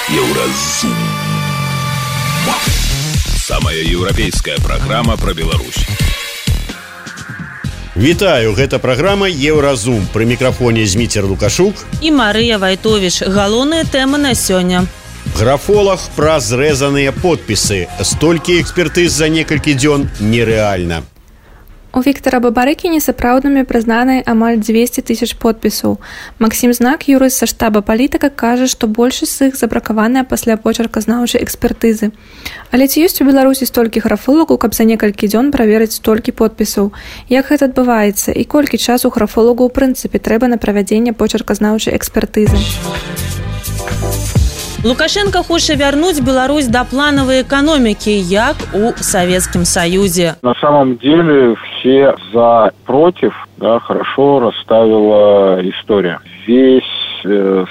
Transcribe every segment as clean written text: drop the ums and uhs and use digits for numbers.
Еўразум. Самая еўрапейская праграма пра Беларусь. Вітаю, гэта праграма Еўразум. Пры мікрафоне Зміцер Лукашук і Марыя Вайтовіч. Галоўныя тэмы на сёння. Графолаг пра зрэзаныя подпісы. Столькі экспертыз за некалькі дзён нерэальна. У Віктара Бабарыкі несапраўднымі прызнаны амаль 200 тысяч подпісаў. Максім Знак, юрыст са штаба палітыка, кажа, што большасць з іх забракаваная пасля почерказнаўчай экспертызы. Але ці ёсць у Беларусі столькі графолагаў, каб за некалькі дзён праверыць столькі подпісаў? Як гэта адбываецца і колькі часу графолагу ў прынцыпе трэба на правядзенне почерказнаўчай экспертызы? Лукашенко хоча вярнуць Беларусь да плановой экономики, як у Советском Союзе. На самом деле все за, против, да, хорошо расставила история. Весь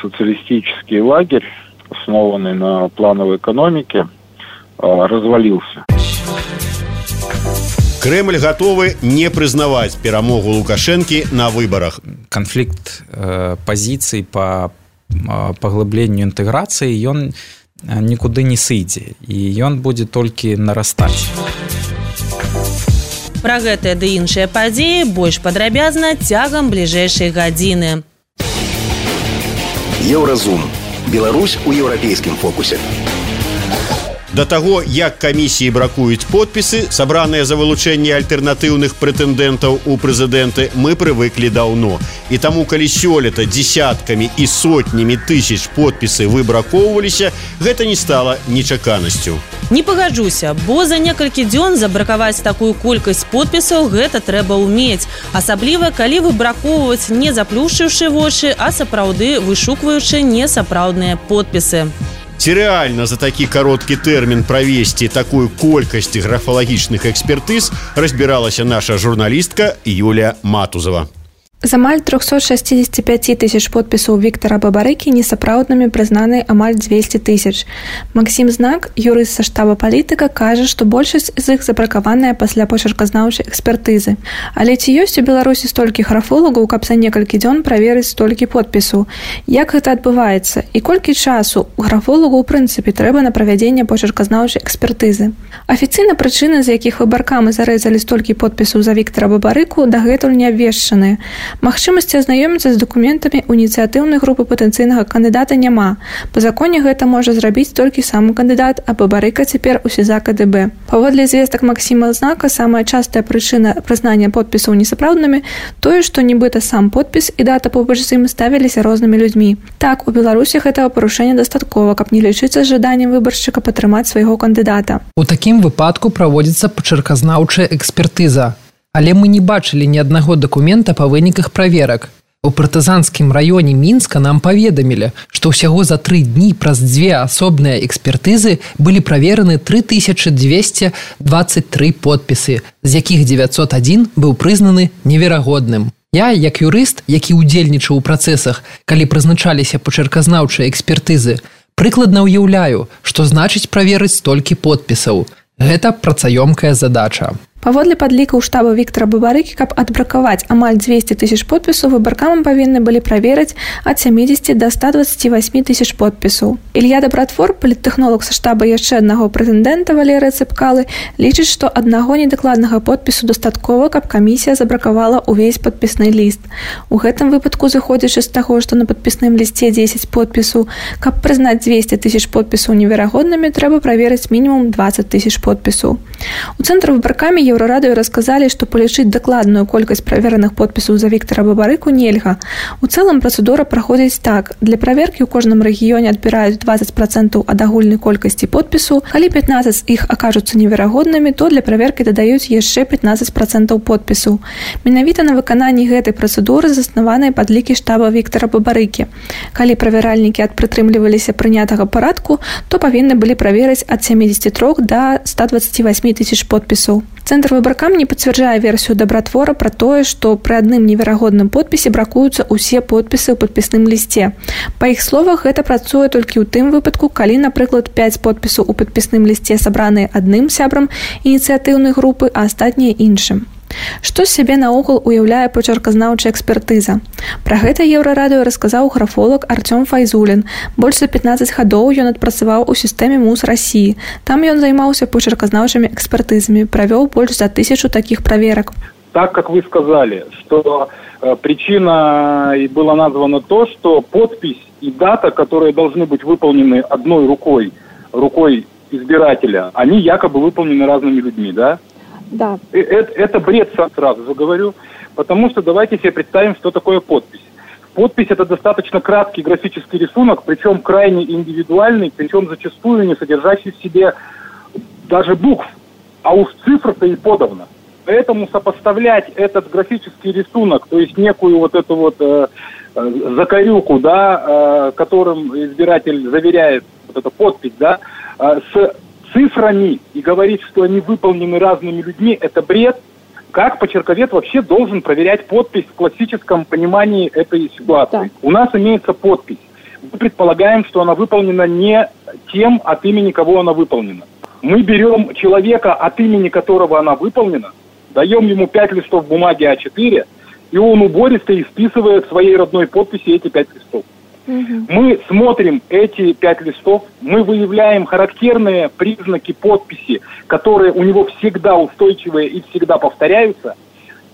социалистический лагерь, основанный на плановой экономике, развалился. Кремль готовы не признавать перамогу Лукашенки на выборах. Конфликт позиций по паглыбленню інтэграцыі ён нікуды не сыдзе і ён будзе толькі нарастаць. Пра гэтыя ды іншыя падзеі больш падрабязна цягам бліжэйшай гадзіны. Еўразум. Беларусь у еўрапейскім фокусе. Да таго, як камісіі бракуюць подпісы, сабраныя за вылучэнне альтэрнатыўных прэтэндэнтаў у прэзідэнты, мы прывыклі даўно. І таму, калі сёлета дзесяткамі і сотнямі тысяч подпісы выбракоўваліся, гэта не стала нечаканасцю. Не пагаджуся, бо за некалькі дзён забракаваць такую колькасць подпісаў гэта трэба ўмець. Асабліва, калі выбракоўваць не заплюшчыўшы вочы, а сапраўды вышукваючы несапраўдныя подпісы. Ці рэальна за такі кароткі тэрмін правесці такую колькасць графалагічных экспертыз, разбіралася наша журналістка Юлія Матузова. З амаль 365 тысяч подпісаў Віктара Бабарыкі несапраўднымі прызнаны амаль 200 тысяч. Максім Знак, юрыст са штаба палітыка, кажа, што большасць з іх забракаваная пасля почерказнаўчай экспертызы. Але ці ёсць у Беларусі столькі графолагаў, каб за некалькі дзён праверыць столькі подпісаў? Як гэта адбываецца? І колькі часу графолагу ў прынцыпе трэба на правядзенне почерказнаўчай экспертызы? Афіцыйна прычыны, з якіх выбаркамі зарэзалі столькі подпісаў за Віктара Бабарыку, дагэтуль не абвешчаныя. Магчымасці азнаёміцца з дакументамі ініцыятыўнай групы патэнцыйнага кандыдата няма. Па законе гэта можа зрабіць толькі сам кандыдат, а Бабарыка цяпер у СІЗА КДБ. Паводле звестак Максіма Знака, самая частая прычына прызнання подпісаў несапраўднымі тое, што нібыта сам подпіс і дата побач з ім ставіліся рознымі людзьмі. Так, у Беларусі гэтага парушэння дастаткова, каб не лічыцца жаданнем выбаршчыка падтрымаць свайго кандыдата. У такім выпадку праводзіцца почерказнаўчая экспертыза. Але мы не бачылі ні аднаго дакумента па выніках праверак. У партызанскім раёне Мінска нам паведамілі, што ўсяго за 3 дні праз 2 асобныя экспертызы былі правераны 3223 подпісы, з якіх 901 быў прызнаны неверагодным. Я, як юрыст, які ўдзельнічаў у працэсах, калі прызначаліся почерказнаўчыя экспертызы, прыкладна ўяўляю, што значыць праверыць столькі подпісаў. Гэта працаёмкая задача. Паводле падлікаў штаба Віктара Бабарыкі, каб адбракаваць амаль 200 тысяч подпісаў, выбаркамам павінны былі праверыць ад 70 до 128 тысяч подпісаў. Ілья Дабратвор, паліттэхнолог са штаба яшчэ аднаго прэтэндэнта Валерыя Цэпкалы, лічыць, што аднаго недакладнага подпісу дастаткова, каб камісія забракавала ўвесь падпісны ліст. У гэтым выпадку, зыходзячы з таго, што на падпісным лісце 10 подпісаў, каб прызнаць 200 тысяч подпісаў неверагоднымі, трэба праверыць мінімум 20 тысяч подпісаў. У цэнтры выбаркамі Еўрарадыё расказалі, што палічыць дакладную колькасць правераных подпісаў за Віктара Бабарыку нельга. У цэлым працэдура праходзіць так. Для праверкі ў кожным рэгіёне адбіраюць 20% ад агульнай колькасці подпісу. Калі 15 з іх акажуцца неверагоднымі, то для праверкі дадаюць яшчэ 15% подпісу. Менавіта на выкананні гэтай працэдуры заснаваныя падлікі штаба Віктара Бабарыкі. Калі правяральнікі адпрытрымліваліся прынятага парадку, то павінны былі праверыць ад 73 до 128 тысяч подпісаў. Цэнтр выбаркам не пацвярджае версію Дабратвора пра тое, што пры адным неверагодным подпісе бракуюцца ўсе подпісы ў падпісным лісце. Па іх словах, гэта працуе толькі ў тым выпадку, калі, напрыклад, 5 подпісаў у падпісным лісце сабраныя адным сябрам ініцыятыўнай групы, а астатнія іншым. Што з сябе наогул уяўляе пачерказнаўчая экспертыза? Пра гэта Еўрарадыё расказаў графолог Артём Файзулін. Больш за 15 гадоў ён адпрацаваў у сістэме МУС России. Там ён займаўся пачерказнаўчымі экспертызамі, правёў больш за 1000 такіх праверак. Так, как вы сказали, что причиной было названо то, что подпись и дата, которые должны быть выполнены одной рукой избирателя, они якобы выполнены разными людьми, да? Да. Это бред, сразу же говорю, потому что давайте себе представим, что такое подпись. Подпись – это достаточно краткий графический рисунок, причем крайне индивидуальный, причем зачастую не содержащий в себе даже букв, а уж цифр-то и подавно. Поэтому сопоставлять этот графический рисунок, то есть некую вот эту вот закорюку, да, которым избиратель заверяет вот эту подпись, да, с цифрами и говорить, что они выполнены разными людьми, это бред. Как почерковед вообще должен проверять подпись в классическом понимании этой ситуации? Да. У нас имеется подпись. Мы предполагаем, что она выполнена не тем, от имени кого она выполнена. Мы берем человека, от имени которого она выполнена, даем ему 5 листов бумаги А4, и он убористо исписывает своей родной подписи эти 5 листов. Мы смотрим эти 5 листов, мы выявляем характерные признаки подписи, которые у него всегда устойчивые и всегда повторяются,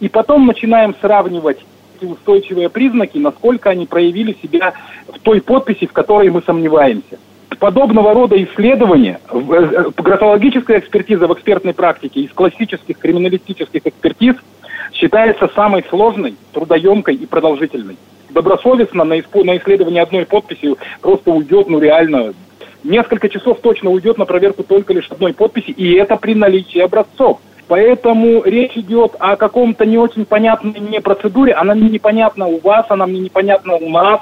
и потом начинаем сравнивать эти устойчивые признаки, насколько они проявили себя в той подписи, в которой мы сомневаемся. Подобного рода исследования, графологическая экспертиза в экспертной практике из классических криминалистических экспертиз считается самой сложной, трудоемкой и продолжительной. Добросовестно на исследование одной подписи просто уйдет, реально, несколько часов точно уйдет на проверку только лишь одной подписи, и это при наличии образцов. Поэтому речь идет о каком-то не очень понятной мне процедуре, она мне непонятна у вас, она мне непонятна у нас,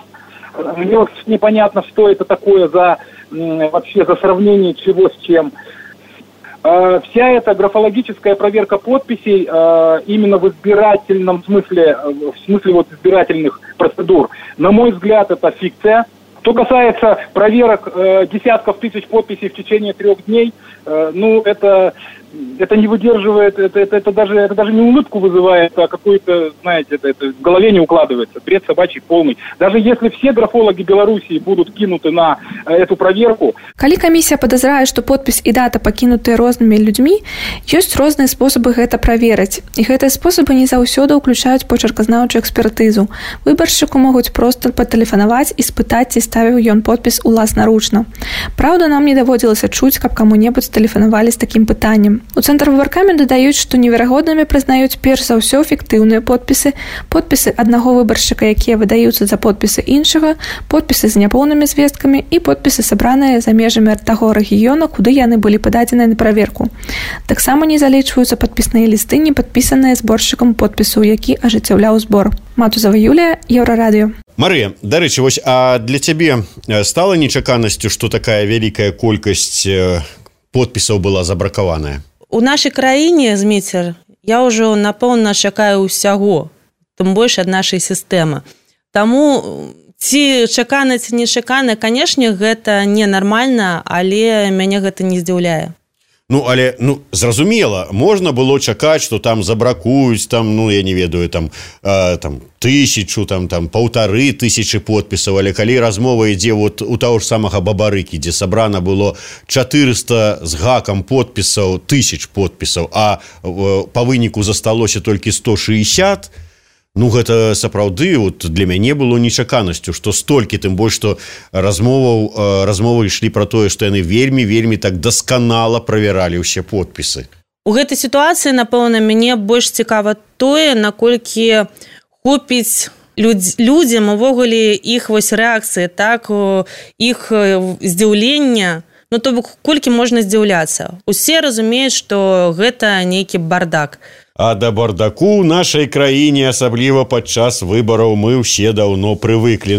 мне непонятно, что это такое вообще за сравнение чего с чем. Вся эта графологическая проверка подписей именно в избирательном смысле, в смысле вот избирательных процедур, на мой взгляд, это фикция. Что касается проверок десятков тысяч подписей в течение 3 дней, это не выдерживает, это даже не улыбку вызывает, а какую-то, знаете, это в голове не укладывается, бред собачий полный. Даже если все графологи Белоруссии будут кинуты на эту проверку. Калі камісія падазрае, што подпіс і дата пакінутыя рознымі людзьмі, ёсць розныя спосабы гэта праверыць. І гэтыя спосабы не заўсёды ўключаюць пачерказнаўчую экспертызу. Выбаршчыку могуць проста патэлефанаваць і спытаць, ці ставіў ён подпіс уласнаручна. Праўда, нам не даводзілася чуць, каб каму-небудзь тэлефанавалі з такім пытаннем. У цэнтр выбаркамі дадаюць, што неверагоднымі прызнаюць перш за ўсё фіктыўныя подпісы аднаго выбаршчыка, якія выдаюцца за подпісы іншага, подпісы з няпоўнымі звесткамі і подпісы, сабраныя за межамі таго рэгіёна, куды яны былі пададзеныя на праверку. Таксама не залічваюцца падпісныя лісты, не падпісаныя зборшчыкам подпісу, які ажыццяўляў збор. Матузава Юлія, Еўрарадыё. Марыя, дарэчы, вось, а для цябе стала нечаканасцю, што такая вялікая колькасць подпісаў была забракаваная? У нашай краіне, Зміцер, я ўжо напэўна чакаю ўсяго, тым больш ад нашай сістэмы. Таму ці чакана, ці нечакана, канешне, гэта ненармальна, але мяне гэта не здзіўляе. Але, зразумела, можна было чакаць, што там забракуюць, я не ведаю, 1000, 1500 подпісаў, але калі размова ідзе вот у таго ж самага Бабарыкі, дзе сабрана было 400 з гакам подпісаў, 1000 подпісаў, а па выніку засталося толькі 160, гэта сапраўды для мяне было нечаканасцю, што столькі, тым больш, што размовы ішлі пра тое, што яны вельмі так дасканала правяралі ўсе подпісы. У гэтай сітуацыі, напэўна, мяне больш цікава тое, наколькі хопіць людзям увогуле іх рэакцыі, так, іх здзіўлення, то бок колькі можна здзіўляцца. Усе разумеюць, што гэта нейкі бардак. А да бардаку ў нашай краіне, асабліва падчас выбараў, мы ўсе даўно прывыклі.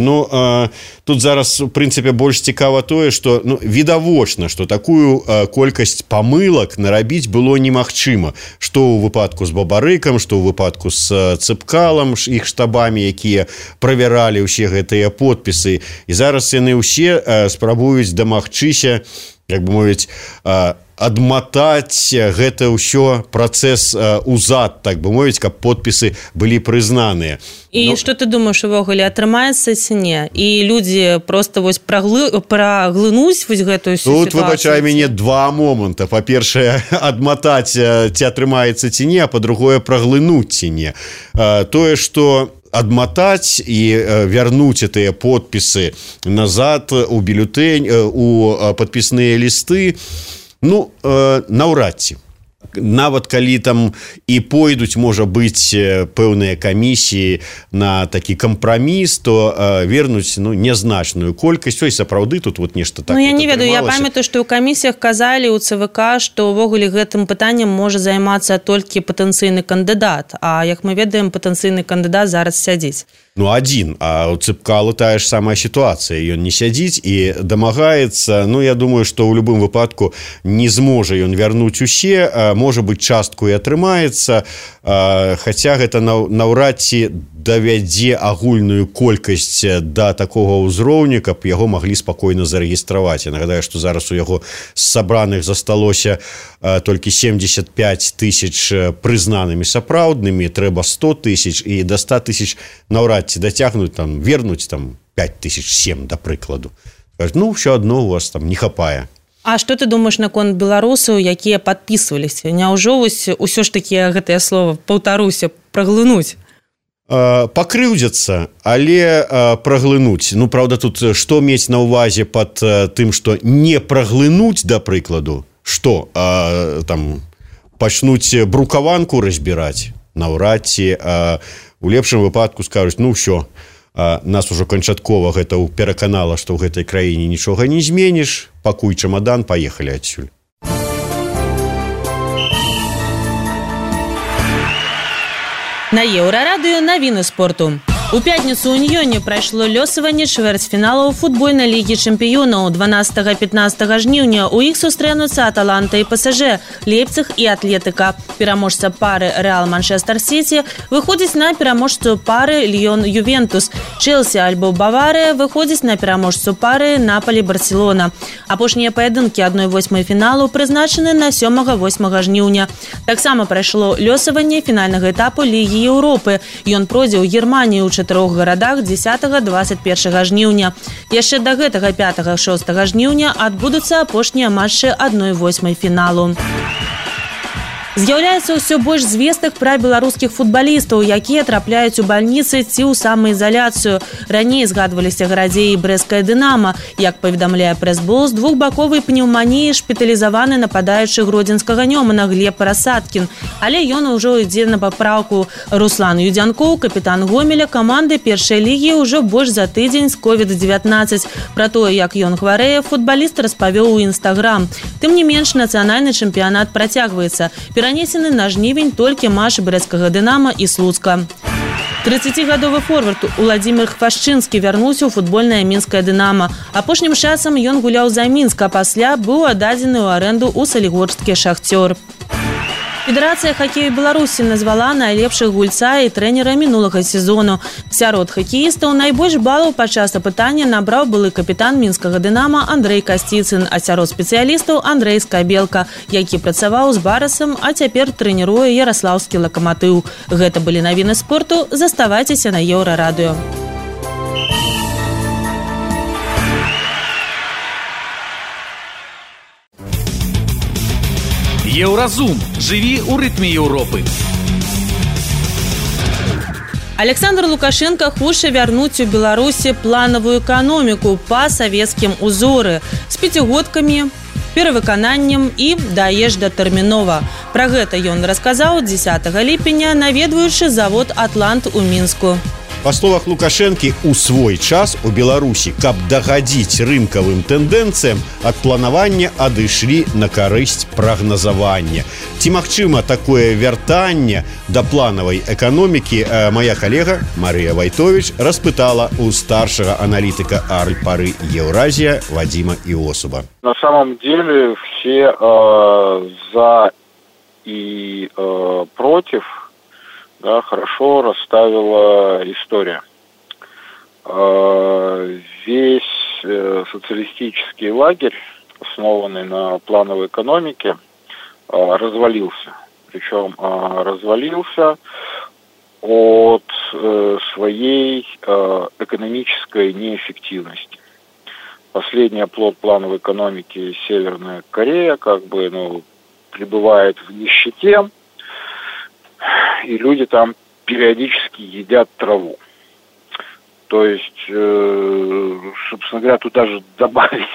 Тут зараз, у прынцыпе, больш цікава тое, што відавочна, што такую колькасць памылак нарабіць было немагчыма. Што ў выпадку з Бабарыкам, што ў выпадку з Цыпкалам, іх штабамі, якія правяралі ўсе гэтыя подпісы. І зараз яны ўсе спрабуюць дамагчыся, як бы мовіць, адматаць гэта ўсё працэс узад, так бы мовіць, каб подпісы былі прызнаныя. І што ты думаеш, увогуле атрымаецца ці не? І людзі проста вось праглынуць вось гэтую сітуацыю? Тут, выбачай мяне, два моманта. Па-першае, адматаць ці атрымаецца ці не, а па-другое, праглынуць ці не. Тое, што адматаць і вярнуць гэтыя подпісы назад у бюлетэнь, у падпісныя лісты, ну, наўрад ці. Нават калі там і пойдуць, можа быць, пэўныя камісіі на такі кампраміс, то вернуць нязначную колькасць. Ой, сапраўды тут вот нешта так. Ну, я не ведаю, я памятаю, што ў камісіях казалі ў ЦВК, што ўвогуле гэтым пытаннем можа займацца толькі патэнцыйны кандыдат. А як мы ведаем, патэнцыйны кандыдат зараз сядзіць. Ну, адзін, а ў Цыпкалу тая ж самая сітуацыя. Ён не сядзіць і дамагаецца. Ну, я думаю, што ў любым выпадку не зможа ён вярнуць усе. Можа быць, частку і атрымаецца. Хаця гэта наўрад ці давядзе агульную колькасць да такога ўзроўню, каб яго маглі спакойна зарэгістраваць. Я нагадаю, што зараз у яго з сабраных засталося толькі 75 тысяч прызнанымі сапраўднымі, трэба 100 тысяч, і да 100 тысяч наўрад ці дацягнуць, там, вернуць там 5007, да прыкладу. Кажуть, ну, ўсё адно у вас там не хапае. А што ты думаеш наконт беларусаў, якія падпісваліся? Няўжо ўсё ж такі гэтае слово, паўтаруся, праглынуць? Пакрыўдзяцца, але праглынуць. Ну, правда, тут што мець на ўвазе пад тым, што не праглынуць, да прыкладу? Што, там, пачнуць брукаванку разбіраць? Наўрад ці у лепшым выпадку скажуць, ну, ўсё, нас ужо канчаткова гэта пераканала, што ў гэтай краіне нічога не зменіш, пакуй чамадан, паехалі адсюль. На Еўрарадыё навіны спорту. У пятніцу ў Уніёне прайшло лёсаванне чвэрцьфіналаў футбольнай лігі чэмпіёнаў. 12-15 жніўня ў іх сустрэнуцца Аталанта і ПСЖ, Лейпциг і Атлетыка. Пераможца пары Рэал Манчестер Сіці выходзіць на пераможцу пары Ліён Ювентус. Чэлсі альбо Баварыя выходзіць на пераможцу пары Наполі Барселона. Апошнія паядынкі 1/8 фіналу прызначаны на 7-8 жніўня. Таксама прайшло лёсаванне фінальнага этапу Лігі Еўропы. Ён пройдзе ў Германію ў 4 гарадах 10-21 жніўня. Яшчэ да гэтага 5-6 жніўня адбудуцца апошнія матчы 1/8 фіналу. З'яўляецца ўсё больш звестак пра беларускіх футбалістаў, якія трапляюць у бальніцы ці ў самаізаляцыю. Раней згадваліся Гарадзей і Брэсцкая Дынама. Як паведамляе прэс-бол, з двухбаковай пнеўманіі шпіталізаваны нападаючы гродзенскага Нёмана Глеб Парасаткін. Але ён ужо ідзе на папраўку. Руслан Юдзянкоў, капітан Гомеля каманды першай лігі, ўжо больш за тыдзень з COVID-19. Пра тое, як ён хварэе, футбаліст распавёў у Інстаграм. Тым не менш, нацыянальны чэмпіянат працягваецца. Перанесены на жнівень толькі матч Брэсцкага Дынама і Слуцка. 30-гадовы форвард Уладзімір Хвашчынскі вярнуўся ў футбольнае мінскае Дынама. Апошнім часам ён гуляў за Мінск, а пасля быў аддадзены ў арэнду ў салігорскі Шахцёр. Федэрацыя хакею Беларусі назвала найлепшых гульца і трэнера мінулага сезону. Сярод хакеістаў найбольш балаў падчас апытання набраў былы капітан мінскага Дынама Андрэй Касціцын, а сярод спецыялістаў Андрэй Скабелка, які працаваў з Барасам, а цяпер трэніруе яраслаўскі Лакаматыў. Гэта былі навіны спорту. Заставайцеся на Еўрарадыё. Еўразум. Жыві ў рытме Еўропы. Александр Лукашенко хоча вярнуць у Беларусі планавую эканоміку па савецкім узоры з пяцігодкамі, перавыкананнем і даезда тэрмінова. Пра гэта ён расказаў 10 ліпеня, наведваючы завод «Атлант» у Мінску. Па словах Лукашэнкі, у свой час у Беларусі, каб дагадзіць рынкавым тэндэнцыям, ад планавання адышлі на карысць прагназавання. Ці магчыма такое вяртанне да планавай эканомікі, моя калега Марыя Вайтовіч распытала у старшага аналітыка Альпары Еўразія Вадзіма Іосуба. На самом деле все за и против, да, хорошо расставила история. Весь социалистический лагерь основанный на плановой экономике, развалился. Причем развалился от своей экономической неэффективности. Последний оплот плановой экономики Северная Корея пребывает в нищете, и люди там периодически едят траву. То есть, собственно говоря, тут даже добавить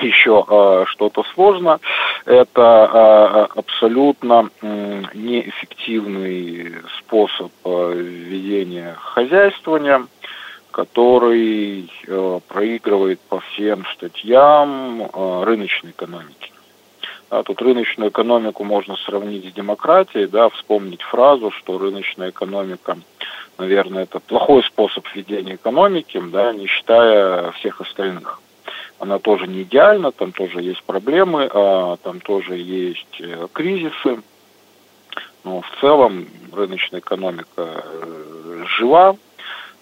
еще что-то сложно. Это абсолютно неэффективный способ ведения хозяйствования, который проигрывает по всем статьям рыночной экономики. Тут рыночную экономику можно сравнить с демократией, вспомнить фразу, что рыночная экономика, наверное, это плохой способ ведения экономики, не считая всех остальных. Она тоже не идеальна, там тоже есть проблемы, там тоже есть кризисы, но в целом рыночная экономика жива.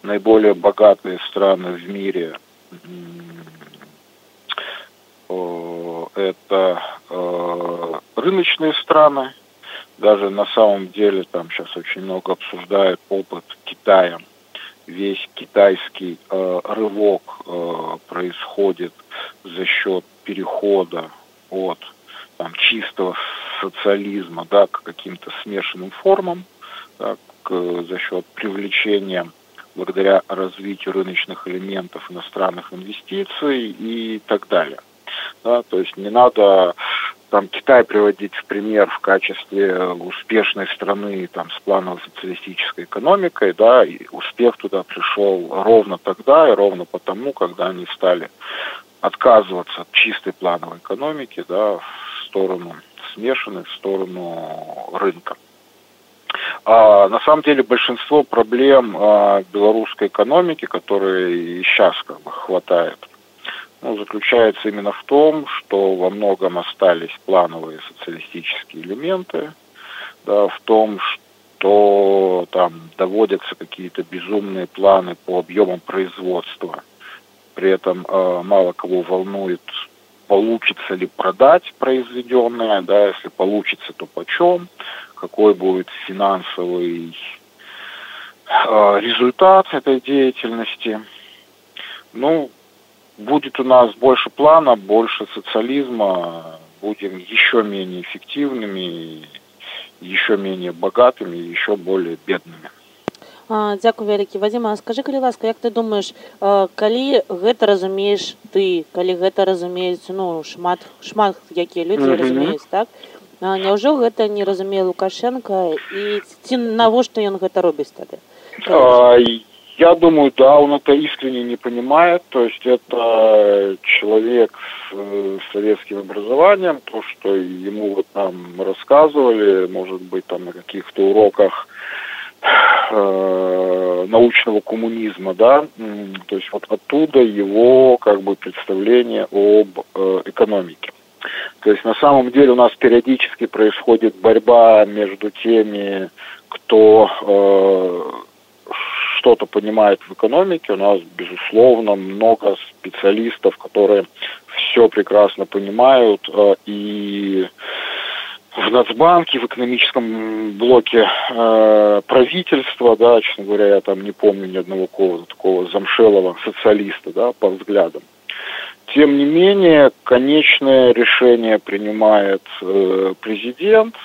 Наиболее богатые страны в мире это рыночные страны. Даже на самом деле там сейчас очень много обсуждают опыт Китая. Весь китайский рывок происходит за счет перехода от чистого социализма к каким-то смешанным формам, за счет привлечения благодаря развитию рыночных элементов иностранных инвестиций и так далее. То есть не надо Китай приводить в пример в качестве успешной страны с плановой социалистической экономикой, и успех туда пришел ровно тогда и ровно потому, когда они стали отказываться от чистой плановой экономики, в сторону смешанной, в сторону рынка. На самом деле большинство проблем белорусской экономики, которые сейчас хватает, заключается именно в том, что во многом остались плановые социалистические элементы, в том, что там доводятся какие-то безумные планы по объемам производства. При этом мало кого волнует, получится ли продать произведенное, если получится, то почем, какой будет финансовый результат этой деятельности. Будет у нас больше плана, больше социализма, будем еще менее эффективными, еще менее богатыми, еще более бедными. Дзякуй вялікі. Вадзіма, скажы, калі ласка, як ты думаеш, калі гэта разумееш ты, калі гэта разумеюць шмат якія людзі разумеюць, так? Няўжо гэта не разумее Лукашенко, і ці навошта ён гэта робіць тады? Я думаю, да, он это искренне не понимает, то есть это человек с советским образованием, то, что ему там рассказывали, может быть, на каких-то уроках научного коммунизма, то есть оттуда его представление об экономике. То есть на самом деле у нас периодически происходит борьба между теми, кто что-то понимает в экономике. У нас, безусловно, много специалистов, которые все прекрасно понимают, и в Нацбанке, в экономическом блоке правительства, честно говоря, я там не помню ни одного такого замшелого социалиста, по взглядам. Тем не менее, конечное решение принимает президент.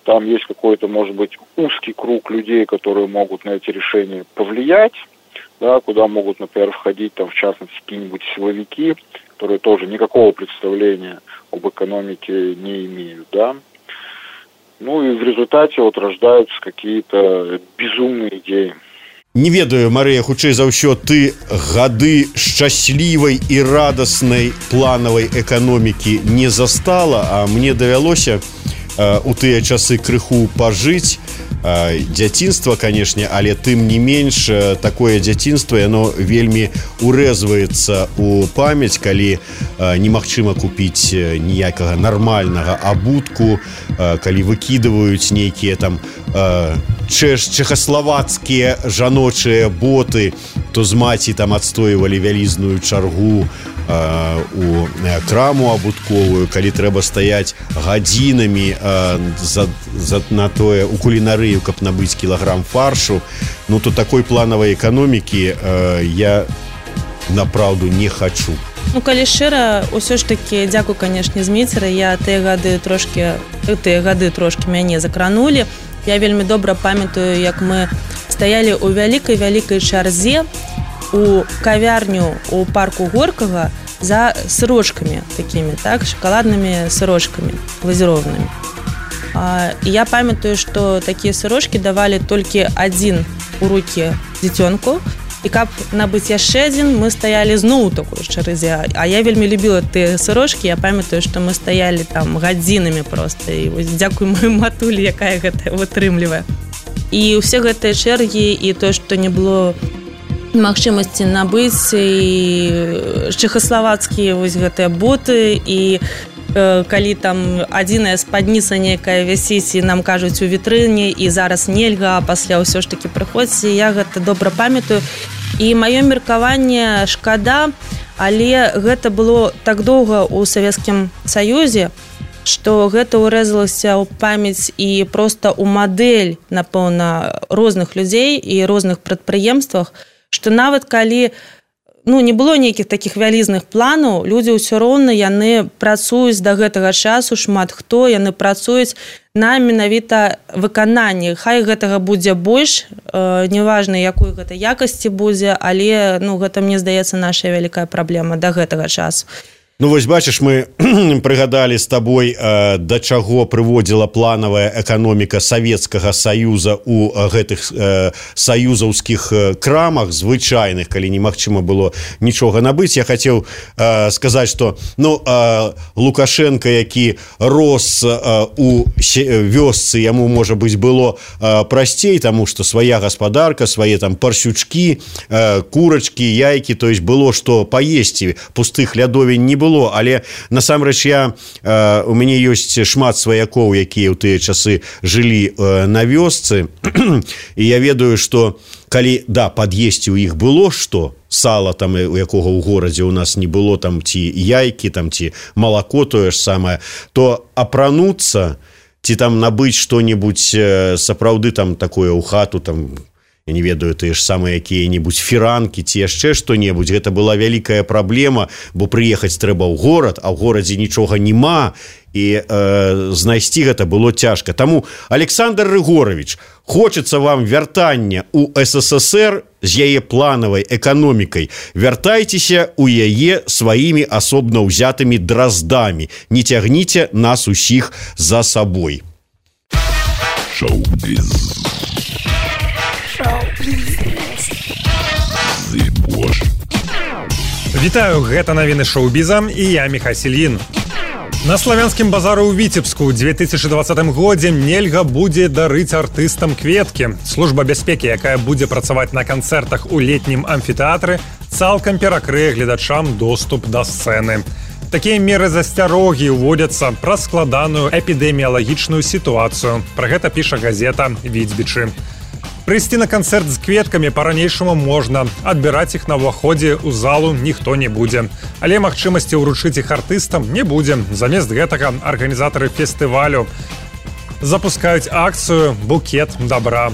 Там есть какой-то, может быть, узкий круг людей, которые могут на эти решения повлиять, куда могут, например, входить, в частности, какие-нибудь силовики, которые тоже никакого представления об экономике не имеют, и в результате рождаются какие-то безумные идеи. Не ведаю, Марыя, хутчэй за ўсё, ты гады шчаслівай і радаснай планавай эканомікі не застала, а мне давялося у тыя часы крыху пажыць. Дзяцінства, канешне, але тым не менш такое дзяцінства, яно вельмі урэзваецца у памяць, калі немагчыма купіць ніякага нармальнага абутку, калі выкідваюць нейкія там чэхаславацкія жаночыя боты, то з маці там адстойвалі вялізную чаргу у краму абутковую, калі трэба стаяць гадзінамі на тое у кулінарыю, каб набыць кілаграм фаршу, ну то такой планавай эканомікі я направду не хочу. Ну, калі шчыра, усё ж такі, дзякуй, канешне, Зміцеры, я тыя гады трошкі мяне закранулі. Я вельмі добра памятаю, як мы стаялі ў вялікай чарзе у кавярню у парку Горкага за сырочкамі такімі, так, шакаладнымі сырочкамі глазіровнымі. І я памятаю, што такія сырочкі давалі толькі адзін у рукі дзіцёнку, і каб набыць яшчэ адзін, мы стаялі зноў у такой чарзе. А я вельмі любіла тыя сырочкі, я памятаю, што мы стаялі там гадзінамі проста. І вось дзякуй маёй матулі, якая гэта вытрымлівае. І ўсе гэтыя чэргі, і тое, што не было магчымасці набыць, і чэхаславацкія вось гэтыя боты, і калі там адзіная спадніца нейкая вісіць, і нам кажуць у вітрыне, і зараз нельга, а пасля ўсё ж такі прыходзіць, я гэта добра памятаю. І маё меркаванне шкада, але гэта было так доўга ў Савецкім Саюзе, што гэта ўрэзалася ў памяць і проста ў мадэль, напэўна, розных людзей і розных прадпрыемствах, што нават калі не было нейкіх такіх вялізных планаў, людзі ўсё роўна яны працуюць да гэтага часу, шмат хто, яны працуюць на менавіта выкананні. Хай гэтага будзе больш, неважна, якой гэта якасці будзе, але гэта, мне здаецца, наша вялікая праблема да гэтага часу. Ну вось бачыш, мы прыгадалі з табой, да чаго прыводзіла планавая эканоміка Савецкага Саюза у гэтых саюзаўскіх крамах звычайных, калі немагчыма было нічога набыць. Я хацеў сказаць, што Лукашенко, які рос у вёсцы, яму, можа быць, было прасцей, таму што свая гаспадарка, свае там парсючкі, курачкі, яйкі, то есть было што паесці, пустых лядовень не было. Але насамрэч у мяне ёсць шмат сваякоў, якія ў тыя часы жылі на вёсцы, і я ведаю, што калі пад'есці ў іх было што, сала там, у якога ў горадзе у нас не было, там ці яйкі, там ці малако тое ж самае, то апрануцца ці там набыць што-небудзь сапраўды там такое ў хату, там я не ведаю, тыя ж самыя якія-небудзь фіранкі ці яшчэ што-небудзь, гэта была вялікая праблема, бо прыехаць трэба ў горад, а ў горадзе нічога няма, і знайсці гэта было цяжка. Таму, Александр Рыгорович, хочацца вам вяртання ў СССР з яе планавай эканомікай, вяртайцеся ў яе сваімі асобна ўзятымі драздамі, не цягніце нас усіх за сабой. Шоу-біз. Вітаю, гэта навіны шоу-біза і я Міхась Ільін. На славянскім базары ў Віцебску ў 2020 годзе нельга будзе дарыць артыстам кветкі. Служба бяспекі, якая будзе працаваць на канцэртах у летнім амфітэатры, цалкам перакрые гледачам доступ да сцэны. Такія меры засцярогі ўводзяцца праз складаную эпідэміялагічную сітуацыю. Пра гэта піша газета «Віцбічы». Прыйсці на канцэрт з кветкамі па-ранейшаму можна, адбіраць іх на ўваходзе ў залу ніхто не будзе. Але магчымасці ўручыць іх артыстам не будзе. Замест гэтага арганізатары фестывалю запускаюць акцыю «Букет добра».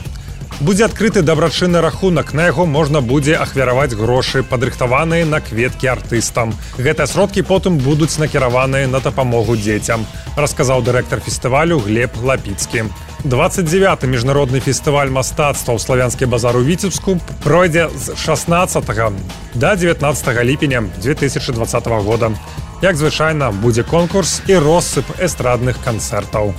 Будзе адкрыты дабрачынны рахунак, на яго можна будзе ахвяраваць грошы, падрыхтаваныя на кветкі артыстам. Гэтыя сродкі потым будуць накіраваныя на дапамогу дзецям, расказаў дырэктар фестывалю Глеб Лапіцкі. 29-й міжнародны фестываль мастацтва ў славянскі базар у Віцебску пройдзе з 16 да 19 ліпеня 2020 года. Як звычайна, будзе конкурс і россып эстрадных канцэртаў.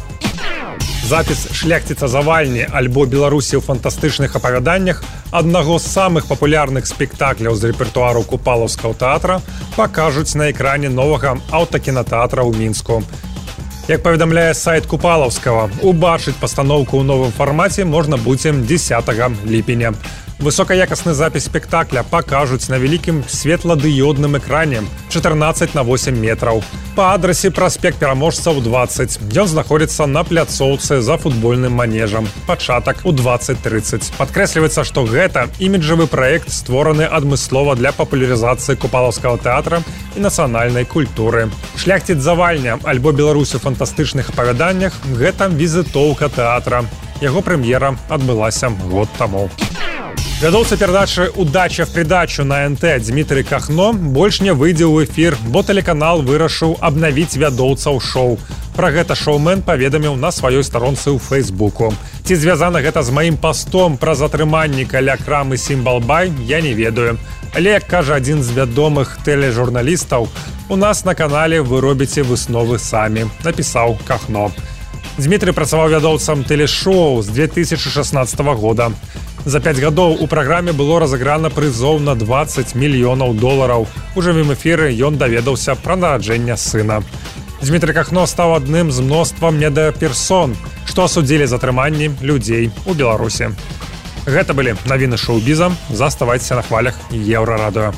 Запіс «Шляхціца завальні» альбо «Беларусі ў фантастычных апавяданнях» аднаго з самых папулярных спектакляў з рэпертуару Купалаўскага тэатра пакажуць на экране новага аўтакінатэатра ў Мінску. Як паведамляе сайт Купалаўскага, убачыць пастаноўку ў новым фармаце можна будзе 10 ліпеня. Высокаякасны запіс спектакля пакажуць на вялікім светладыёдным экране 14x8 метраў. Па адрасе праспект Пераможцаў 20. Ён знаходзіцца на пляцоўцы за футбольным манежам. Пачатак у 20:30. Падкрэсліваецца, што гэта іміджавы праект, створаны адмыслова для папулярызацыі купалаўскага тэатра і нацыянальнай культуры. «Шляхціц-завальня» альбо «Беларусь у фантастычных апавяданнях» – гэта візітоўка тэатра. Яго прэм'ера адбылася год таму. Вядоўца перадачы «Удача в придачу» на НТ Дмітрый Кахно больш не выйдзе ў эфір, бо тэлеканал вырашыў абнавіць вядоўцаў шоу. Пра гэта шоумен паведаміў на сваёй старонцы ў Фейсбуку. Ці звязана гэта з маім пастом пра затрыманні каля крамы «Сімбалбай», я не ведаю. Але, як кажа адзін з вядомых тэлежурналістаў, у нас на канале вы робіце высновы самі, напісаў Кахно. Дмітрый працаваў вядоўцам тэлешоу з 2016 года. За 5 гадоў у праграме было разыграна прызоў на $20 мільёнаў. У жывым эфіры ён даведаўся пра нараджэнне сына. Дмітрый Кахно стаў адным з мноствам медыаперсон, што асудзілі затрыманні людзей у Беларусі. Гэта былі навіны шоу-біза. Заставайцеся на хвалях Еўрарадыё.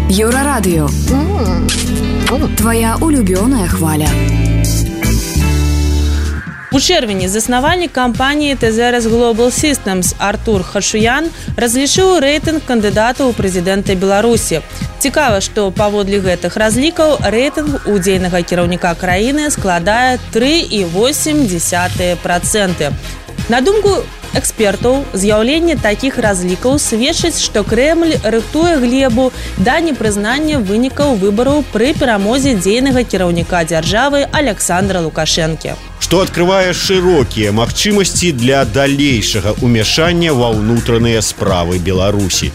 Еўрарадыё. Твоя улюбёная хваля. У чэрвені заснавальнік кампаніі Тезерас Global Systems Артур Хашуян разлічыў рэйтынг кандыдатаў у прэзідэнты Беларусі. Цікава, што паводле гэтых разлікаў рэйтынг удзельнага кіраўніка краіны складае 3,8%. На думку экспертаў, з'яўленне такіх разлікаў сведчыць, што Крэмль рыхтуе глебу да непрызнання вынікаў выбараў пры перамозе дзейнага кіраўніка дзяржавы Александра Лукашэнкі. Што адкрывае шырокія магчымасці для далейшага ўмяшання ва ўнутраныя справы Беларусі.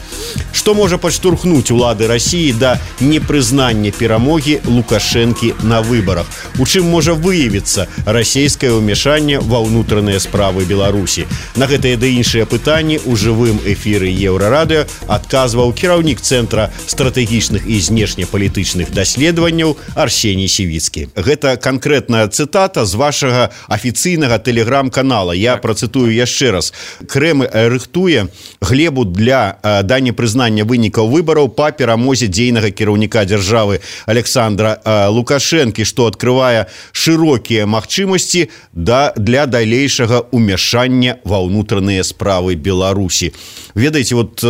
Што можа падштурхнуць улады Расіі да непрызнання перамогі Лукашэнкі на выбарах? У чым можа выявіцца расійскае ўмяшанне ва ўнутраныя справы Беларусі? На гэтыя ды іншыя пытанні ў жывым эфіры Еўрарадыё адказваў кіраўнік Цэнтра стратэгічных і знешнепалітычных даследаванняў Арсеній Сівіцкі. Гэта канкрэтная цытата з вашага афіцыйнага тэлеграм-канала. Я працытую яшчэ раз. Крэмль рыхтуе глебу да непрызнання вынікаў выбараў па перамозе дзейнага кіраўніка дзяржавы Александра Лукашэнкі, што адкрывае шырокія магчымасці для далейшага ўмяшання ва ўнутраныя справы Беларусі. Ведаеце, вот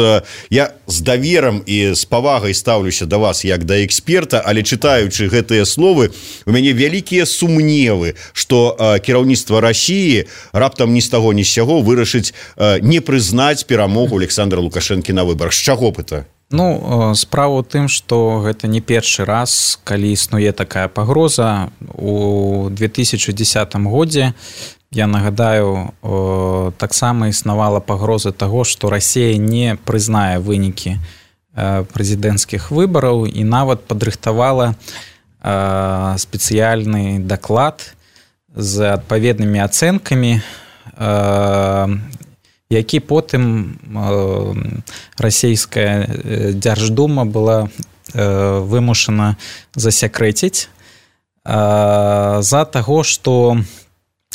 я з даверам і з павагай стаўлюся да вас як да эксперта, але чытаючы гэтыя словы, у мяне вялікія сумневы, што кіраўніцтва Расіі раптам ні з таго ні з сяго вырашыць не прызнаць перамогу Александра Лукашэнкі на выбарах. З чаго б это? Справа ў тым, што гэта не першы раз, калі існуе такая пагроза. У 2010 годзе, я нагадаю, таксама існавала пагроза таго, што Расія не прызнае вынікі прэзідэнцкіх выбараў і нават падрыхтавала спецыяльны даклад з адпаведнымі ацэнкамі, які потым расійская дзярждума была вымушана засякрэціць з-за таго, што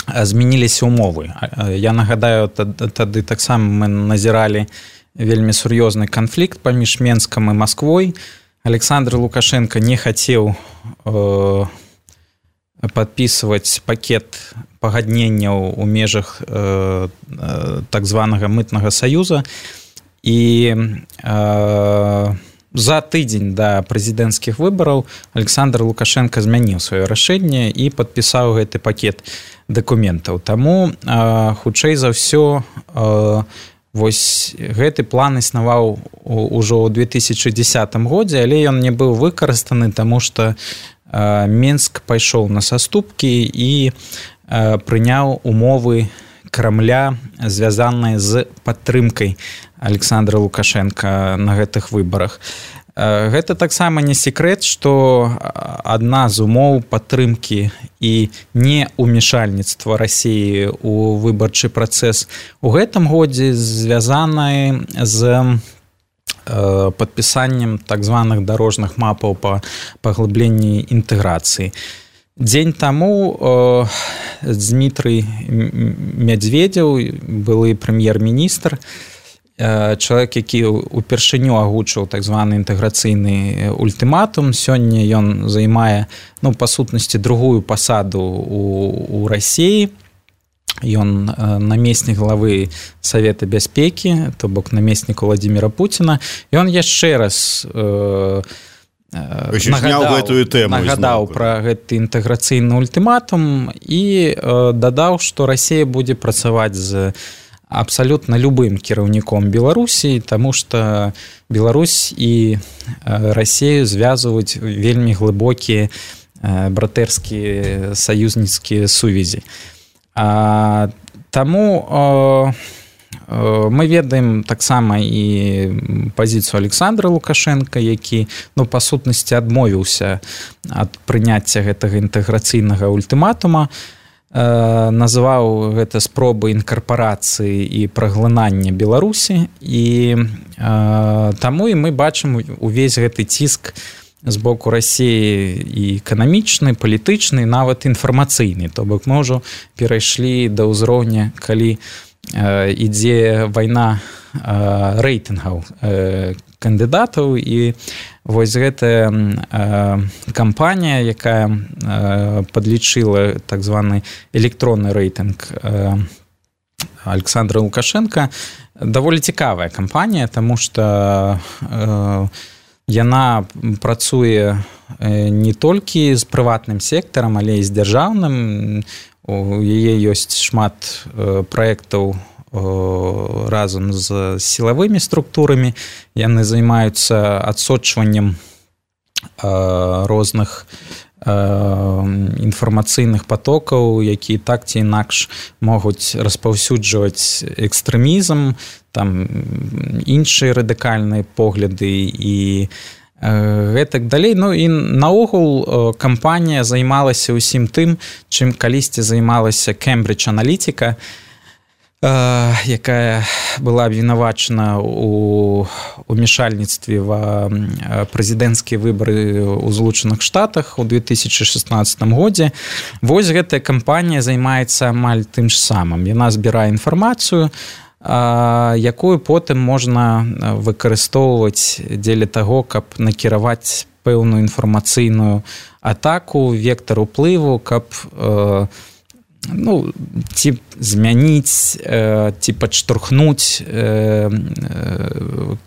змяніліся ўмовы. Я нагадаю, тады таксама мы назіралі вельмі сур'ёзны канфлікт паміж Менскам і Масквой. Александр Лукашенко не хацеў падпісваць пакет пагадненняў у межах так званага мытнага саюза, і за тыдзень да прэзідэнцкіх выбараў Александр Лукашенко змяніў сваё рашэнне і падпісаў гэты пакет дакументаў. Таму хутчэй за ўсё вось гэты план існаваў ужо ў 2010 годзе, але ён не быў выкарыстаны, таму што Мінск пайшоў на саступкі і прыняў умовы Крамля, звязаныя з падтрымкай Александра Лукашенка на гэтых выбарах. Гэта таксама не секрэт, што адна з умоў падтрымкі і неумешальніцтва Расіі ў выбарчы працэс у гэтым годзе звязаная з падпісаннем так званых дарожных мапаў па паглыбленні інтэграцыі. Дзень таму Дмітрый Медведзеў, былы прэм'ер-міністр, чалавек, які ўпершыню агучыў так званы інтэграцыйны ультыматум. Сёння ён займае, па сутнасці, другую пасаду ў Расіі. Ён намеснік главы Савета бяспекі, то бок намеснік Владзіміра Пуціна. Ён яшчэ раз нагадаў пра гэты інтэграцыйны ультыматум і дадаў, што Расія будзе працаваць з абсалютна любым кіраўніком Беларусі, таму што Беларусь і Расію звязваюць вельмі глыбокія братэрскія саюзніцкія сувязі. Таму мы ведаем таксама і пазіцыю Александра Лукашенка, які, па сутнасці, адмовіўся ад прыняцця гэтага інтэграцыйнага ультыматума, называў гэта спробы інкарпарацыі і праглынання Беларусі, і таму і мы бачым увесь гэты ціск з боку Расіі і эканамічны, палітычны, нават інфармацыйны. То бок мы ўжо перайшлі да ўзроўня, калі ідзе вайна рэйтынгаў кандыдатаў, і вось гэтая кампанія, якая падлічыла так званы электронны рэйтынг Александра Лукашенка, даволі цікавая кампанія, таму што яна працуе не толькі з прыватным сектарам, але і з дзяржаўным. У яе ёсць шмат праектаў разам з сілавымі структурамі. Яны займаюцца адсочваннем розных інфармацыйных патокаў, якія так ці інакш могуць распаўсюджваць экстрэмізм, там іншыя радыкальныя погляды і гэтак далей. І наогул кампанія займалася ўсім тым, чым калісьці займалася Кембридж Аналітика, якая была абвінавачана ў умешальніцтве ва прэзідэнцкія выбары ў Злучаных Штатах у 2016 годзе. Вось гэтая кампанія займаецца амаль тым ж самым. Яна збірае інфармацыю, якую потым можна выкарыстоўваць дзеля таго, каб накіраваць пэўную інфармацыйную атаку, вектар уплыву, каб ці змяніць, ці падштурхнуць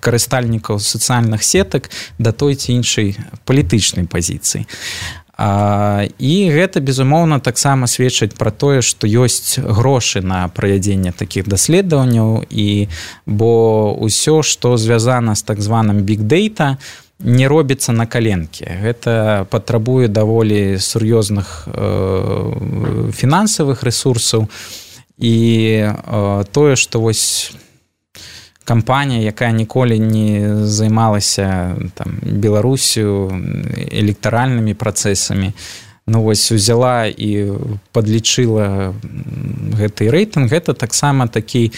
карыстальнікаў сацыяльных сетак да той ці іншай палітычнай пазіцыі. І гэта, безумоўна, таксама сведчыць пра тое, што ёсць грошы на правядзенне такіх даследаванняў, бо ўсё, што звязана з так званым биг-дейта, не робіцца на каленкі. Гэта патрабуе даволі сур'ёзных фінансавых рэсурсаў, і тое, што вось кампанія, якая ніколі не займалася Беларусю электаральнымі працэсамі, вось узяла і падлічыла гэты рэйтынг, гэта таксама такі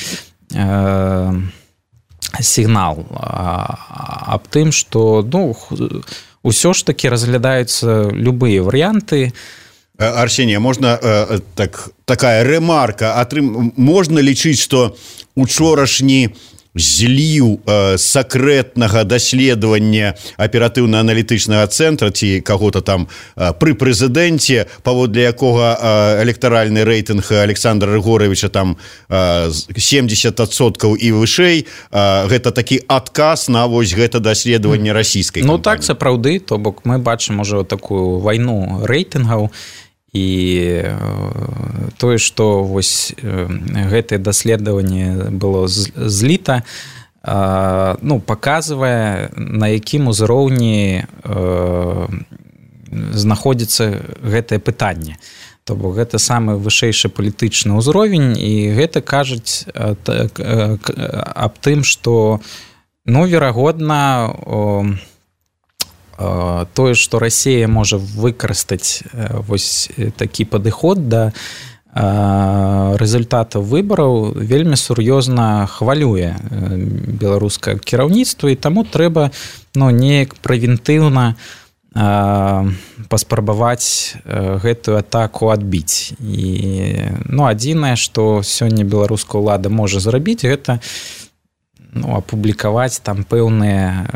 сігнал аб тым, што ўсё ж такі разглядаюцца любыя варыянты. Арсенія, можна такая рэмарка, можна лічыць, што учорашні зліў сакрэтнага даследавання аператыўна-аналітычнага цэнтра ці каго-то там пры прэзідэнце, паводле якога электаральны рэйтынг Александра Рыгоровича там 70% і вышэй, гэта такі адказ на вось гэта даследаванне расійскай кампаніі. Так, сапраўды, то бок мы бачым ужо такую вайну рэйтынгаў, і тое, што вось гэтае даследаванне было зліта, паказвае, на якім узроўні знаходзіцца гэтае пытанне. То бок гэта самы вышэйшы палітычны ўзровень, і гэта кажуць аб тым, што, верагодна, тое, што Расія можа выкарыстаць вось такі падыход да рэзультатаў выбараў, вельмі сур'ёзна хвалюе беларускае кіраўніцтва, і таму трэба неяк прэвентыўна паспрабаваць гэтую атаку адбіць. І адзінае, што сёння беларуская ўлада можа зрабіць, гэта апублікаваць там пэўныя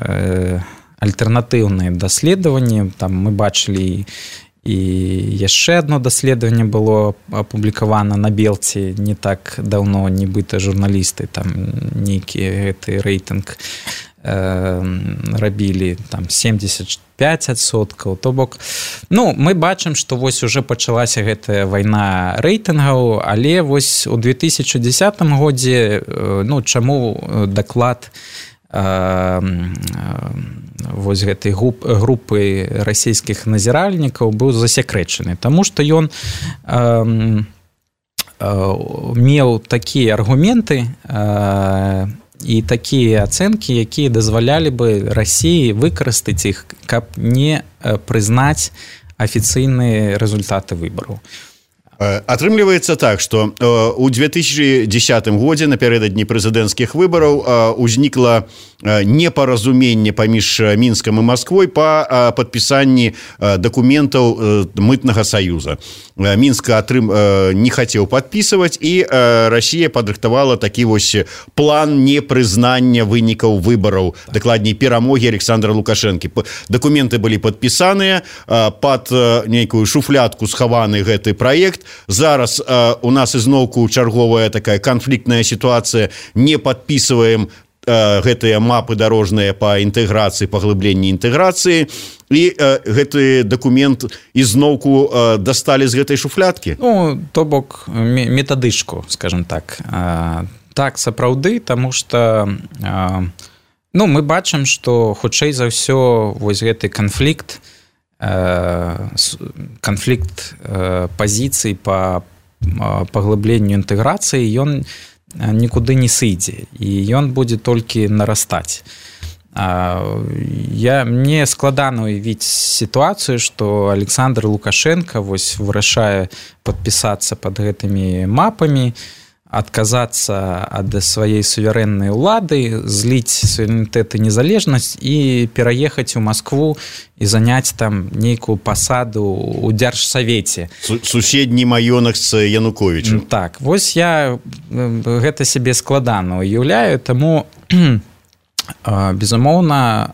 альтэрнатыўныя даследаванні. Там мы бачылі і яшчэ одно даследаванне было апублікавана на Белці не так даўно, нібыта журналісты там нейкі гэты рэйтынг рабілі там 75%. То бок, мы бачым, што вось уже пачалася гэтая вайна рэйтынгаў, але вось у 2010 годзе, чаму даклад вось гэтай групы расійскіх назіральнікаў быў засекрэчаны, таму што ён меў такія аргументы і такія ацэнкі, якія дазвалялі бы Расіі выкарыстаць іх, каб не прызнаць афіцыйныя рэзультаты выбараў. Атрымліваецца так, што ў 2010 годзе напярэдадні прэзідэнцкіх выбараў узнікла непаразуменне паміж Мінскам і Масквой па падпісанні дакументаў мытнага саюза. Мінск не хацеў падпісваць, і Расія падрыхтавала такі вось план непрызнання вынікаў выбараў, дакладней перамогі Александра Лукашэнкі. Дакументы былі падпісаныя, пад нейкую шуфлядку схаваны гэты праект. Зараз у нас ізноўку чарговая такая канфліктная сітуацыя, не падпісваем гэтыя мапы дарожныя па інтэграцыі, паглыбленні інтэграцыі, і гэты дакумент ізноўку дасталі з гэтай шуфлядкі. То бок метадычку, скажем так. Так, сапраўды, таму што мы бачым, што хутчэй за ўсё вось гэты канфлікт пазіцый па паглыбленню інтэграцыі, ён нікуды не сыдзе, і ён будзе толькі нарастаць. Мне складана уявіць сітуацыю, што Александр Лукашенко вось вырашае падпісацца пад гэтымі мапамі, адказацца ад сваёй суверэннай улады, зліць суверэнітэт і незалежнасць і пераехаць у Маскву і заняць там нейкую пасаду ў дзяржсавеце. Суседні маёнак з Януковічам. Так, вось я гэта сябе складана уяўляю, таму безумоўна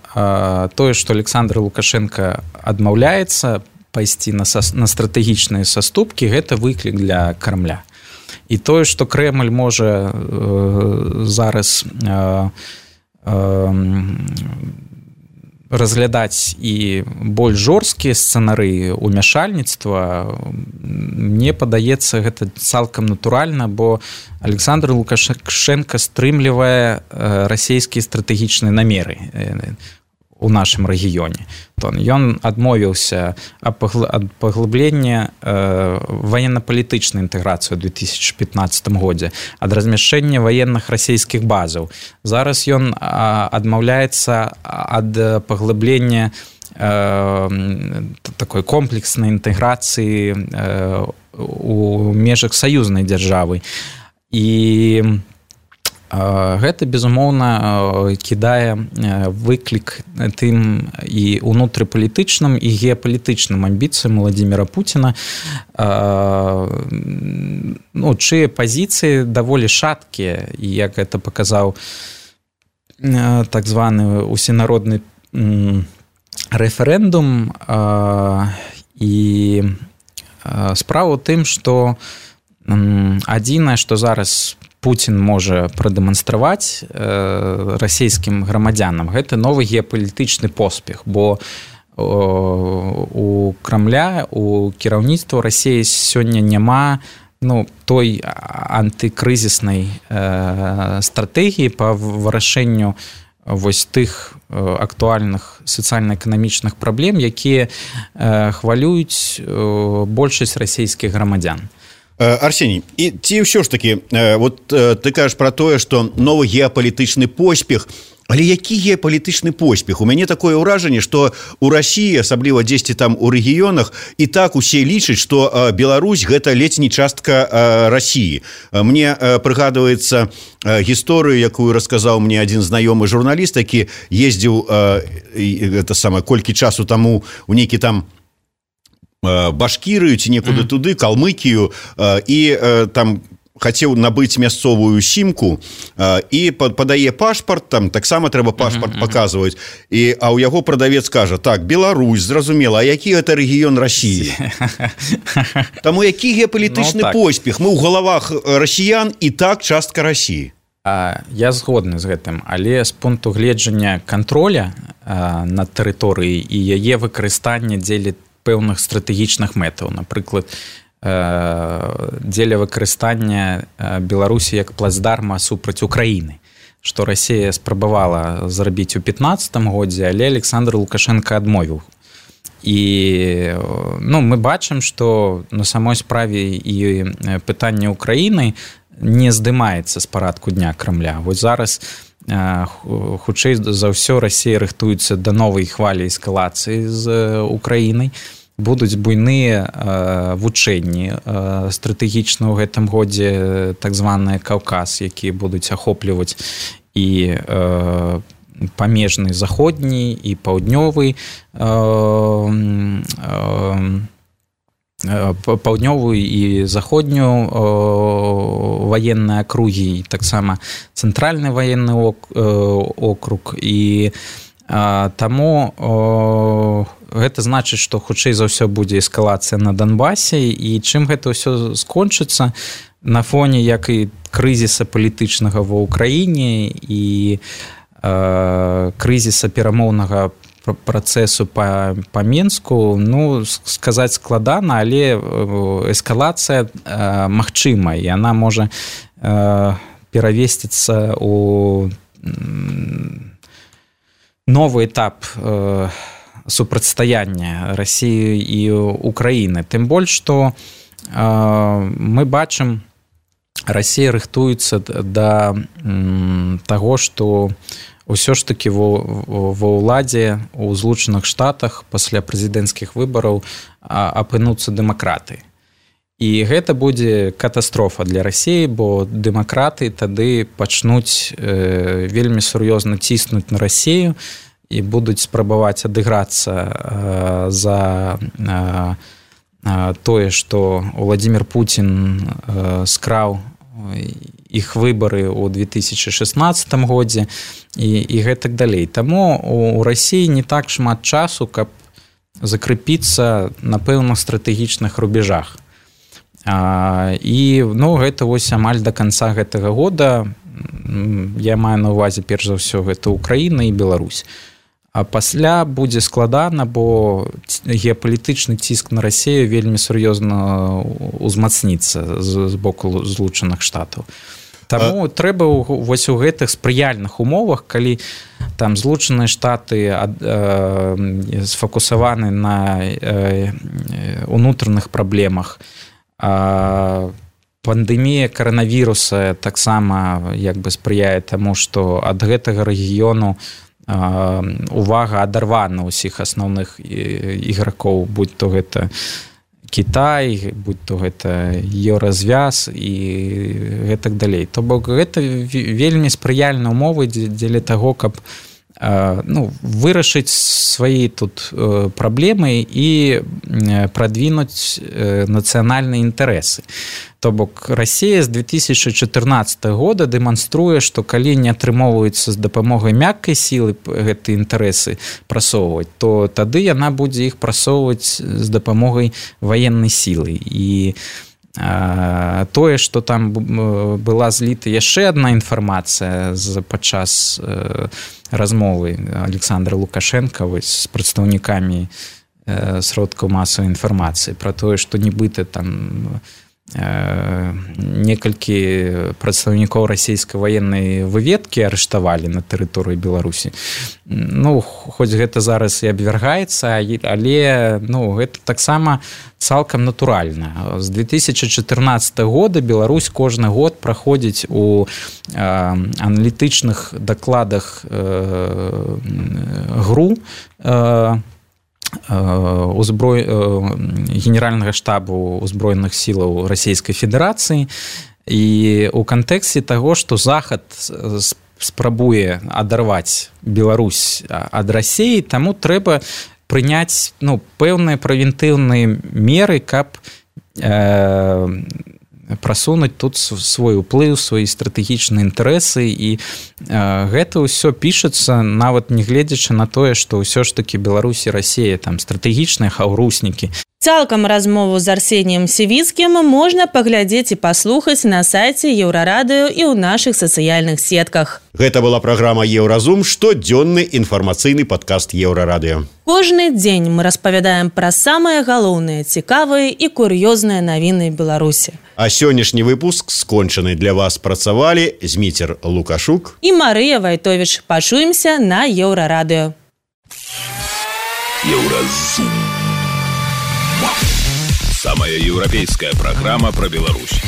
тое, што Александр Лукашенко адмаўляецца пайсці на стратэгічныя саступкі, гэта выклік для Крамля. І тое, што Крэмль можа зараз разглядаць і больш жорсткія сцэнарыі ўмяшальніцтва, мне падаецца, гэта цалкам натуральна, бо Александр Лукашенко стрымлівае расійскія стратэгічныя намеры у нашым рэгіёне. Ён адмовіўся ад паглыблення ваенна-палітычнай інтэграцыі ў 2015 годзе, ад размяшчэння ваенных расійскіх базаў. Зараз ён адмаўляецца ад паглыблення такой комплекснай інтэграцыі у межах саюзнай дзяржавы. І гэта, безумоўна, кідае выклік тым і ўнутрыпалітычным, і геапалітычным амбіцыям Владзіміра Пуціна, чые пазіцыі даволі шаткія, і як гэта паказаў так званы усенародны рэферэндум. І справа ў тым, што адзінае, што зараз Путін можа прадэманстраваць расійскім грамадзянам, гэта новы геапалітычны поспех, бо у Крамля, у кіраўніцтва Расіі сёння няма той антыкрызіснай стратэгіі па вырашэнню вось тых актуальных сацыяльна-эканамічных праблем, якія хвалююць большасць расійскіх грамадзян. Арсеній, і ці ўсё ж такі, вот ты кажаш пра тое, што новы геапалітычны поспех Але які геапалітычны поспех? У мяне такое ўражанне, што у Расіі, асабліва дзесьці там у рэгіёнах, і так усе лічаць, што Беларусь гэта ледзь не частка Расіі. Мне прыгадваецца гісторыю, якую расказаў мне адзін знаёмы журналіст, які ездзіў колькі часу таму у нейкі там Башкірыю ці некуды туды, Калмыкію, і там хацеў набыць мясцовую сімку і падае пашпарт, там таксама трэба пашпарт паказваць, а ў яго прадавец кажа: так, Беларусь, зразумела, а які гэта рэгіён Расіі? Таму які геапалітычны поспех? Мы ў галавах расіян і так частка Расіі. Я згодны з гэтым, але з пункту гледжання контроля над тэрыторыяй і яе выкарыстання дзеля пэўных стратэгічных мэтаў, напрыклад, дзеля выкарыстання Беларусі як плацдарма супраць Украіны, што Расія спрабавала зрабіць у 2015 годзе, але Александр Лукашенко адмовіў. І мы бачым, што на самой справе і пытанне Украіны не здымаецца з парадку дня Крамля. Вось зараз хутчэй за ўсё Расія рыхтуецца да новай хвалі эскалацыі з Украінай. Будуць буйныя вучэнні стратэгічна ў гэтым годзе, так званыя Каўказ, якія будуць ахопліваць і памежны заходні, і паўднёвы, паўднёвую і заходнюю ваенныя акругі, і таксама цэнтральны ваенны округ. І таму гэта значыць, што хутчэй за ўсё будзе эскалацыя на Донбасе, і чым гэта ўсё скончыцца на фоне як і крызіса палітычнага ва ўкраіне і крызіса перамоўнага працэсу па Менску, сказаць складана, але эскалацыя магчыма, і яна можа перавесціцца ў новы этап супрацьстаяння Расіі і Украіны. Тым больш, што мы бачым, Расія рыхтуецца да таго, што ўсё ж такі ва ўладзе ў Злучаных Штатах пасля прэзідэнцкіх выбараў апынуцца дэмакраты. І гэта будзе катастрофа для Расіі, бо дэмакраты тады пачнуць вельмі сур'ёзна ціснуць на Расію і будуць спрабаваць адыграцца за тое, што Владзімір Пуцін скраў іх выбары ў 2016 годзе і гэтак далей. Таму у Расіі не так шмат часу, каб закрепіцца на пэўных стратэгічных рубежах. І гэта вось амаль да канца гэтага года, я маю на ўвазе перш за ўсё гэта Украіна і Беларусь. А пасля будзе складана, бо геапалітычны ціск на Расію вельмі сур'ёзна узмацніцца з боку Злучаных Штатаў. Таму трэба вось у гэтых спрыяльных умовах, калі там Злучаныя Штаты сфокусаваны на унутраных праблемах, пандэмія каранавіруса таксама спрыяе таму, што ад гэтага рэгіёну увага адарвана ўсіх асноўных ігракоў, будь то гэта Кітай, будь то гэта Еўразвяз і гэтак далей. То бок гэта вельмі спрыяльныя умовы дзеля таго, каб вырашыць свае тут праблемы і прадвінуць нацыянальныя інтарэсы. То бок Расія з 2014 года дэманструе, што калі не атрымоўваюцца з дапамогай мяккай сілы гэтыя інтарэсы прасоўваць, то тады яна будзе іх прасоўваць з дапамогай ваеннай сілы. І тое, што там была зліта яшчэ адна інфармацыя падчас размовы Александра Лукашенка з прадстаўнікамі сродкаў масавай інфармацыі пра тое, што нібыта там некалькі прадстаўнікоў расійскай ваеннай выведкі арыштавалі на тэрыторыі Беларусі. Ну, хоць гэта зараз і абвяргаецца, але ну, гэта таксама цалкам натуральна. З 2014 года Беларусь кожны год праходзіць у аналітычных дакладах ГРУ генеральнага штабу узброеных сілаў Расійскай Федэрацыі, і у кантэксце таго, што Захад спрабуе адарваць Беларусь ад Расіі, таму трэба прыняць пэўныя прэвентыўныя меры, каб прасунуць тут свой уплыў, свае стратэгічныя інтарэсы, і гэта ўсё пішацца, нават не гледзячы на тое, што ўсё ж такі Беларусь і Расія там стратэгічныя хаўруснікі. Цалкам размову з Арсеніем Сівіцкім можна паглядзець і паслухаць на сайце Еўрарадыё і ў нашых сацыяльных сетках. Гэта была праграма «Еўразум», штодзённы інфармацыйны падкаст Еўрарадыё. Кожны дзень мы распавядаем пра самыя галоўныя, цікавыя і кур'ёзныя навіны Беларусі. А сённяшні выпуск скончаны. Для вас працавалі Зміцер Лукашук і Марыя Вайтовіч. Пачуемся на Еўрарадыё. Еўразум. Самая европейская программа про Беларусь.